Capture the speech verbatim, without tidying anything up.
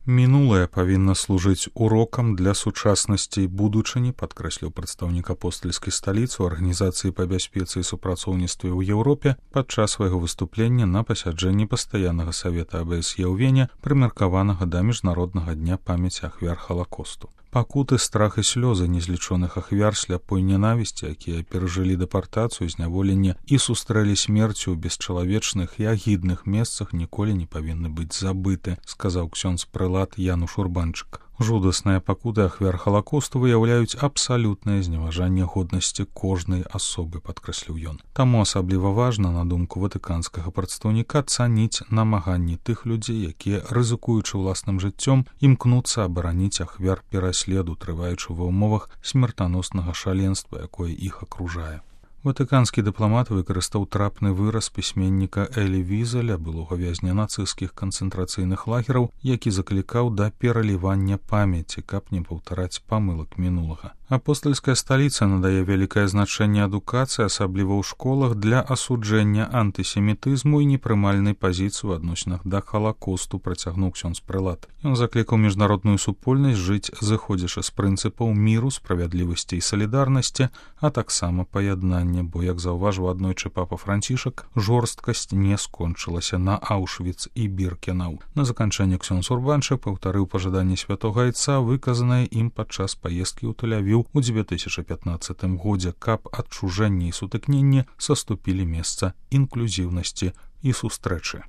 Мінулае павінна служыць урокам для сучаснасці і будучыні, падкрэсліў прадстаўнік апостальскай сталіцы ў арганізацыі па бяспецы і супрацоўніцтве ў Еўропе падчас свайго выступлення на пасяджэнні пастаяннага савета А Б С Е ў Вене, прымеркаванага да міжнароднага дня памяці ахвяр Халакосту. Пакуты, страх і слёзы незлічоных ахвяр сляпой ненавісці, якія перажылі дэпартацыю, зняволенне і сустрэлі смерцю ў бесчалавечных і агідных месцах, ніколі не павінны быць забыты, сказаў ксёндз-прэлат Януш Урбанчык. Жудасныя пакуты ахвяр Халакосту выяўляюць абсалютнае зневажанне годнасці кожнай асобы, падкрэсліў ён. Таму асабліва важна, на думку ватыканскага прадстаўніка, цаніць намаганні тых людзей, якія, рызыкуючы ўласным жыццём, імкнуцца абараніць ахвяр пераследу, трываючы ва ўмовах смертаноснага шаленства, якое іх акружае. Ватыканскі дыпламат выкарыстаў трапны выраз пісьменніка Элі Візеля, былога вязня нацысцкіх канцэнтрацыйных лагераў, які заклікаў да пералівання памяці, каб не паўтараць памылак мінулага. Апостальская сталіца надае вялікае значэнне адукацыі, асабліва ў школах, для асуджэння антысемітызму і непрымальнай пазіцыі ў адносінах да Халакосту, працягнуў ксёндз-прэлат. Ён заклікаў міжнародную супольнасць жыць, зыходзячы з прынцыпаў міру, справядлівасці і салідарнасці, а таксама паяднання, бо, як заўважыў аднойчы папа Францішак, жорсткасць не скончылася на Аўшвіц і Біркенау. На заканчэнне ксёндз Урбанчык паўтарыў пажаданне святога айца, выказанае ім падчас паездкі ў Тель-Авіў у дзве тысячы пятнаццатым годзе, каб адчужэнне і сутыкненне саступілі месца інклюзіўнасці і сустрэчы.